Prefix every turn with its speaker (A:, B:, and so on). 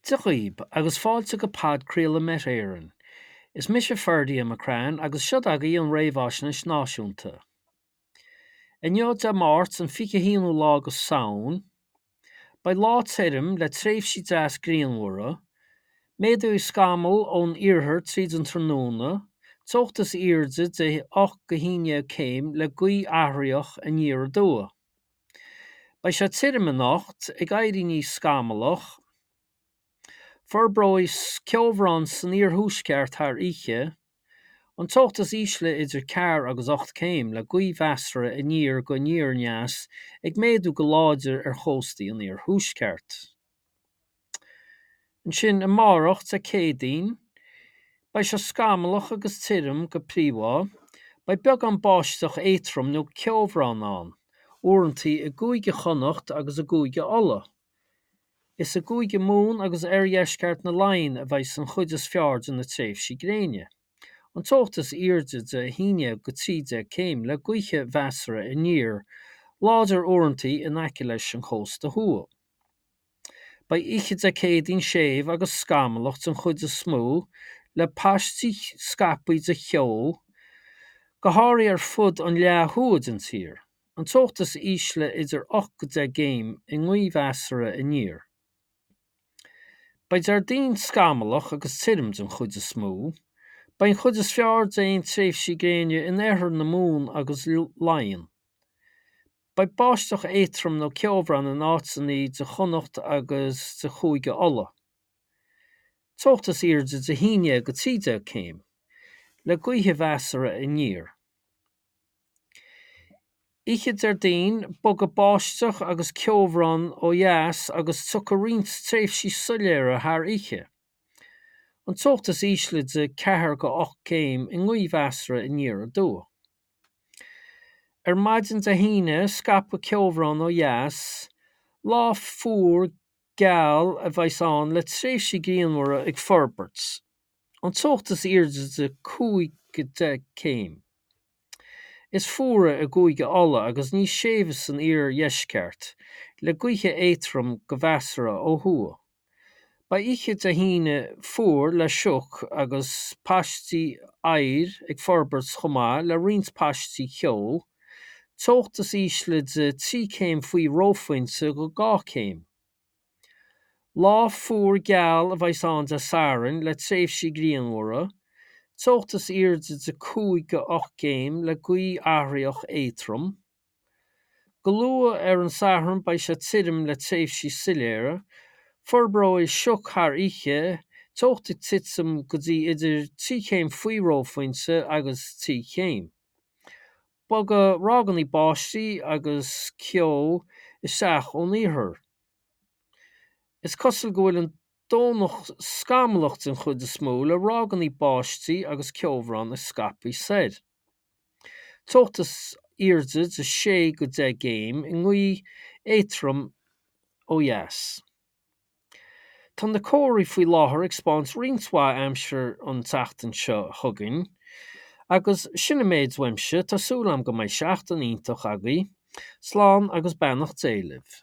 A: Dia dhaoib, agus fáilte go podchraoladh Met Éireann. Is mise Ferdia McCrann agus seod agaibh an réamhaisnéis náisiúnta. Inniu, Dé Máirt, an 21ú lá go Samhain, beidh lá tirim le tréimhsí deas grianmhara, méadóidh scamaill ón iarthar tríd an tráthnóna, teocht is airde de 8 go 11 céim le gaoth athraitheach aniar aduaidh. Beidh sé tirim anocht, ag éirí níos scamallach. Forbróidh ceobhrán san iarthuaisceart thar oíche. An teocht is ísle idir ceathair agus 8 céim, le gaoth mheasartha aniar go aniar aneas ag méadú go láidir ar chóstaí an iarthuaisceart. Ansin amárach, Dé Céadaoin, beidh sé scamallach agus tirim go príomha. Beidh beagán báisteach éadtrom nó ceobhrán ann, uaireanta i gCúige Chonnacht agus i gCúige Uladh. Is i gCúige Mumhan agus oirdheisceart na Laighean a bheidh an chuid is fearr de na tréimhsí gréine. An teocht is airde de 11 go 13 céim le gaoth mheasartha aniar, láidir uaireanta in aice leis an chósta thuaidh. Beidh oíche Dé Céadaoin séimh agus scamallach den chuid is mó, le paistí scaipthe de cheo, go háirithe ar fud an leath thuaidh den tír. An teocht is ísle idir 8 go 10 gcéim i ngaoth mheasartha aniar. Beidh Déardaoin scamallach agus tirim den chuid is mó. Beidh an chuid is fearr d'aon tréimhsí gréine in oirthear na Mumhan agus Laighean. Beidh báisteach éadtrom nó ceobhrán in áiteanna de Chonnacht agus de Chúige Uladh. Teocht is airde de 11 go 13 céim, le gaoth mheasartha aniar. Oíche Déardaoin, bogfaidh báisteach agus ceobhrán ó dheas agus tiocfaidh roinnt tréimhsí soiléire thar oíche. An teocht is ísle de 4 go 8 céim i ngaoth mheasartha aniar aduaidh. Ar maidin Dé hAoine, scaipfidh ceobhrán ó dheas. Lá fuar geal a bheas ann le tréimhsí grianmhara ag forbairt. An teocht is airde de 5 go 10 céim. Is fuaire i gCúige Uladh agus níos séimhe san iardheisceart, le gaotha éadtrom go measartha ó thuaidh. Beidh oíche Dé hAoine fuar le sioc agus paistí oighir ag forbairt chomh maith le roinnt paistí ceo, teocht is ísle de 3 céim faoi reophointe go 2 céim. Lá fuar geal a bheas ann Dé Sathairn le tréimhsí grianmhara, teocht is airde de 5 go 8 gcéim le gaoth athraitheach éadtrom. Go luath ar an Satharn beidh sé tirim le tréimhsí soiléire. Forbróidh sioc thar oíche, teocht ag titim go dtí idir 3 chéim faoi reophointe agus 3 chéim. Bogfaidh ráigeanna báistí agus ceo isteach ón iarthar. Is cosúil go bhfuil an Domhnach scamallach den chuid is mó le ráigeanna báistí agus ceobhrán ag scaipeadh soir. Teocht is airde de 6 go 10 gcéim i ngaoth éadtrom ó dheas. Tá na comharthaí faoi láthair ag 'spáint roinnt mhaith aimsir an tseachtain seo chugainn agus sin an méid uaimse, tá súil agam go mbeidh seachtain iontach agaibh. Slán agus beannacht Dé libh.